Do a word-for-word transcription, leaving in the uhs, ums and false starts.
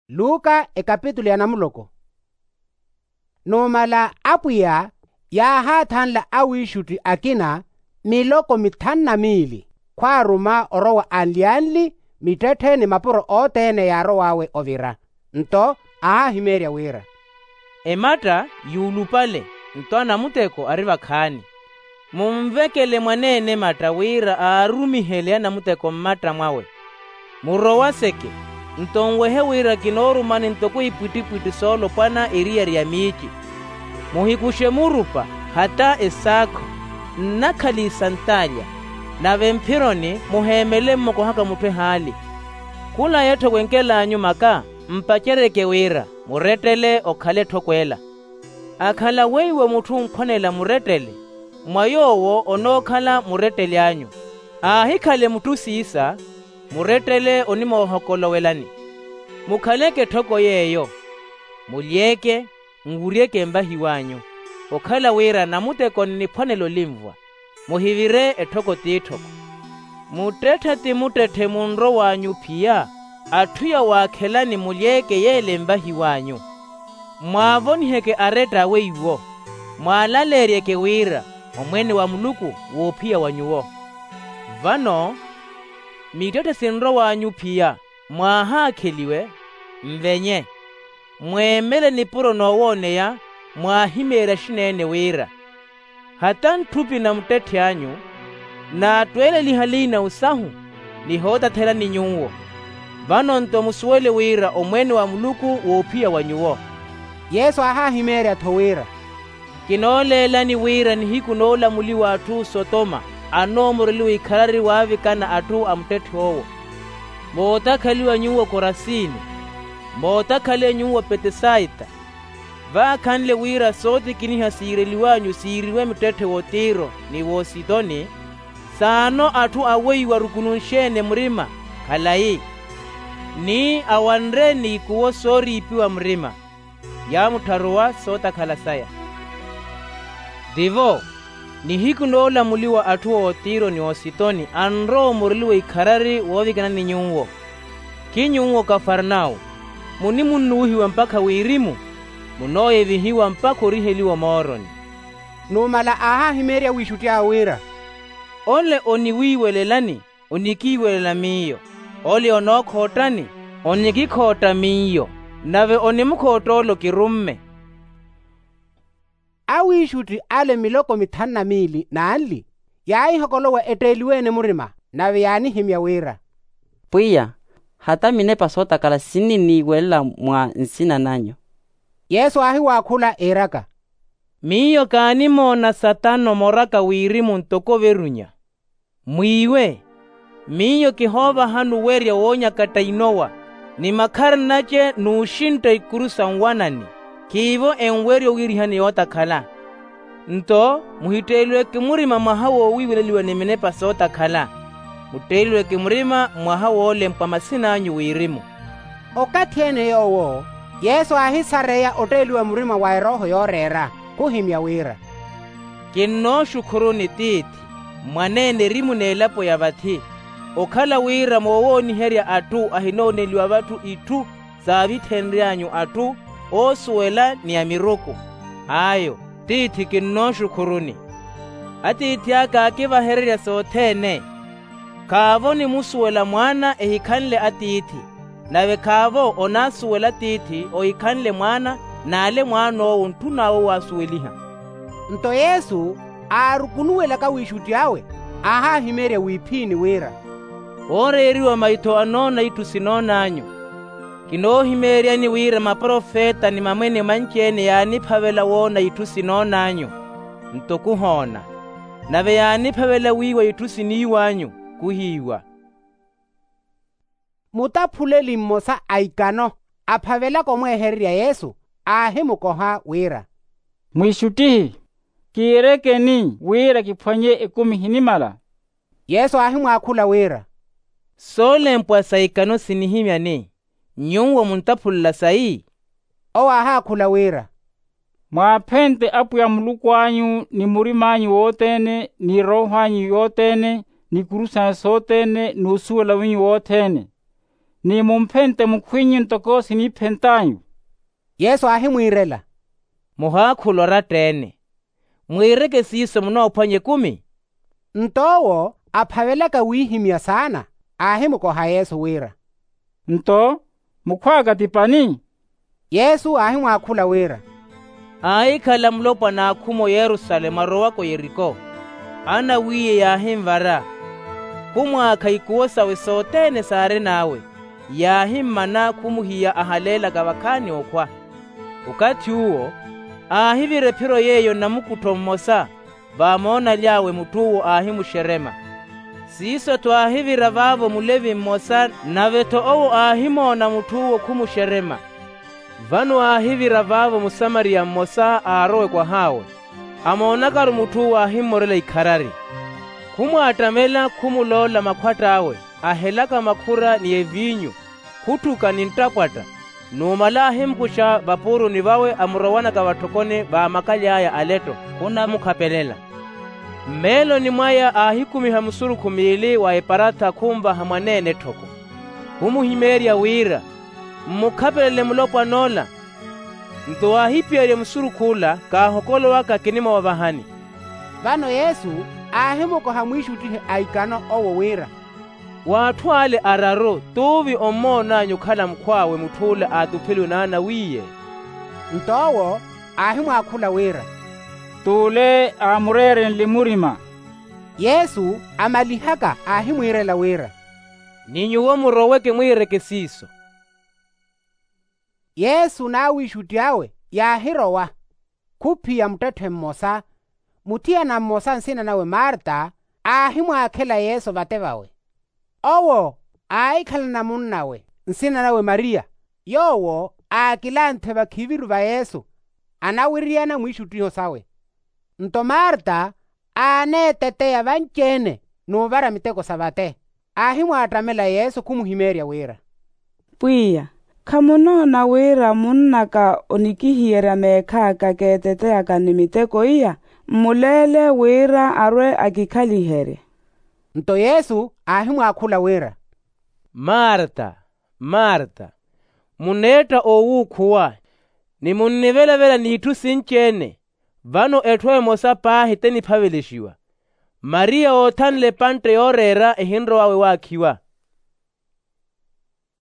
Luka ekapitulu ya namuloko. Numala apwiya yaahaathanla awiixutti akina miloko mithanu na miili khwaaruma orowa anli-anli mittetthe ni mapuro othene yaarow'awe ovira. Nto aahimeerya wira, ematta yuulupale, nto anamuteko ari vakhaani. Munvekele mwaneene ematta wira aarumihele anamuteko mmatta mwawe. Murowaseke, nto nwehe wira kinoorumani ntoko ipwittipwitthi soolopwana eriyari ya miici. Muhikuxe murupa, hata esaakho, nnakhala isantaalya, nave mphironi muheemele mmukohaka mutthu ehaali. Khula yetthu ekwenkel'anyu maka, mpaceryeke wira murettele okhale etthoko ela. Akhala weiwo mutthu onkhwanela murettele, mwa yoowo onookhala muretteli anyu. Aahikhale mutthu siisa, murettele onimoohokolowelani. Mukhaleke etthoko yeeyo, mulyeke, nwuryeke mvahiw'anyu, okhala wira namuteko nniphwanela olinvwa. Muhivire etthoko t'itthoko. Muttetthe ti muttetthe munrow'anyu phiya, atthu yawaakhelani mulyeke yeele mvahiw'anyu. Mwaavoniheke aretta a weiwo, mwaalaleeryeke wira omwene wa muluku woophiya wa nyuwo. Vano mittetthe sinrow'anyu phiya, mwaahaakheliwe, mvenye, mweemele nipuro noowooneya, mwaahimeerya axineene wira, hata ntthupi na muttetthe anyu, naattweeleliha liina osahu, nihootathelani nyuwo. Vano nto musuwele wira omwene wa muluku woophiya wa nyuwo. Yesu aahaahimeerya-tho wira, kinooleelani wira nihiku noolamuliwa atthu sotoma anoomoreliwa ikharari waavikana atthu a muttetthe owo. Mootakhaliwa nyuwo korasini, mootakhaliwa nyuwo petesaita, vaakhanle wira sootikiniha siireliw'anyu siiriwe muttetthe w'otiro ni w'ositoni, saano atthu a weiwo arukununxe-ene murima, khalayi, ni awanre n'ikuwo sooriipiwa murima, yaamuttharuwa sootakhala saya. Tivo, nihiku noolamuliwa atthu a otiro ni ositoni anrowa omureliwa ikharari woovikanani nyuwo. Ki nyuwo kafarnau, munimunnuwihiwa mpakha wirimu, munooyevihiwa mpakha oriheliwa omooroni. Numala aahahimeerya wiixutti awe wira, ole oniwiiwelelani, onikiiwelela miyo, ole onookhottani, onikikhootta miyo, nave onimukhootta ole okirumme. Awiixutti ale miloko mithanu na miili n'anli, yaahihokolowa etteeliwe-ene murima, nave yaanihimya wira, pwiya, hata minepa sootakhala sinniniiwelela mwa nsina nanyu. Yesu aahiwaakhula iiraka, miyo kaanimoona satano moraka wirimu ntoko overunya. Mwiiwe, miyo kihoovahani owerya woonyakatta inowa, ni makhari nace n'uxintta ikuru sa nwanani, khiivo enwerya owiirihani yootakhala. Nto muhitteeliweke murima mwaha woowiiweleliwa ni minepa sootakhala, mutteeliweke murima mwaha woolempwa masin'anyu wirimu. Okathi-ene yoowo yesu aahisareya otteeliwa murima wa erooho yooreera, khuhimya wira, kinnooxukhuruni tiithi, mwaneene erimu n'elapo ya vathi, okhala wira moowooniherya atthu ahinooneliwa vatthu itthu saavithenry'anyu atthu oosuwela ni amiruku. Ayo tiithi kinnooxukhuruni. Atiithi aka aakivahererya sothene. Khaavo onimusuwela mwaana ehikhanle atiithi, nave khaavo onaasuwela atiithi ohikhanle mwaana n'ale mwaan'owo ontthun'awe owaasuweliha. Nto yesu aarukunuwelaka wiixutti awe, aahahimeerya wiiphiini wira, ooreeriwa maitho anoona itthu sinoon'anyu. Kinoohimeeryani wira maprofeta ni mamwene manci-ene yaaniphavela woona itthu sinoon'anyu, nto khuhoona, nave yaaniphavela wiiwa itthu siniiw'anyu, khuhiiwa. Mutaphuleli mmosa a ikano aphavelaka omweehererya yesu, aahimukoha wira, mwiixuttihi, kiirekeni wira kiphwanye ekumi ehinimala. Yesu aahimwaakhula wira, soolempwa sa ikano sinihimyani, nyuwo muntaphulela sayi? Owo aahaakhula wira, mwaaphente apwiya muluku anyu ni murim'anyu wothene ni erooho anyu yothene, n'ikuru sanyu sothene n'usuwela wenyu wothene. ni mumphente mukhwinyu ntoko siniphent'anyu. Yesu aahimwiirela, muhaakhula oratta-ene. Mwiireke siiso munoophwanya ekumi. Nto owo aphavelaka wiihimya saana, aahimukoha yesu wira, nto mukhw'aka ti pani? Yesu aahimwaakhula wira, aahikhala mulopwana aakhumu oyerusalemu arowaka oyeriko, anawiiye yaahinvara, khumwaakha ikuwo sawe sothene saarin'awe, yaahimmana khumuhiya ahaleelaka vakhaani okhwa. Okathi uwo aahivira ephiro yeeyo namukuttho mmosa, vaamoonaly'awe mutth'uwo aahimuxerema. Siiso-tho aahivira vaavo mulevi mmosa, nave-tho owo aahimoona mutth'uwo khumuxerema. Vano aahivira vaavo musamariya mmosa aarowe kwah'awe, amoonakaru mutth'uwo aahimmorela ikharari. Khumwaattamela khumuloola makhwatt'awe, ahelaka makhura ni eviinyu, khutthuka ni nttapwatta. Numala aahimukuxa vapuuruni vawe amurowanaka vatthokoni vaamakaly'aya aletto, khunamukhapelela. Mmeeloni mwaya aahikumiha musurukhu miili wa eparatha khunvaha mwaneene etthoko, khumuhimeerya wira, mmukhapelele mulopwan'ola. Nto aahiphiyerya musurukh'ula, kaahokolowaka kinimwavavahani. Vano yesu aahimukoha mwiixuttihi a ikano owo wira, w'atthu ale araru t'uvi ommoon'anyu okhala mukhw'awe mutth'ule aatupheliwe n'anawiiye? Nto owo aahimwaakhula wira, t'ule aamureerenle murima. Yesu amalihaka aahimwiirela wira, ni nyuwo muroweke mwiireke siiso. Yesu n'awiixutti awe yaahirowa. Khuphiya muttetthe mmosa, muthiyana mmosa nsina nawe marta, aahimwaakhela yesu vate vawe. Owo aahikhalana munnawe nsina nawe mariya, yoowo aakilanthe vakhiviru va yesu, anawiriyana mwiixuttiho sawe. Nto marta aaneeteteya vanci-ene n'uvara miteko sa vate. Aahimwaattamela yesu khumuhimeerya wira, pwiya, khamunoona wira munn'aka onikihiyerya meekh'aka keeteteyaka ni miteko iya? Mmuleele wira arwe akikhaliherye. Nto yesu aahimwaakhula wira, marta, marta, muneetta owuukhuwa, ni munnivelavela n'itthu sinci-ene. Vano etthu emosa paahi teniphavelixiwa. Mariya oothanle epantte yooreera ehinrow'awe waakhiwa.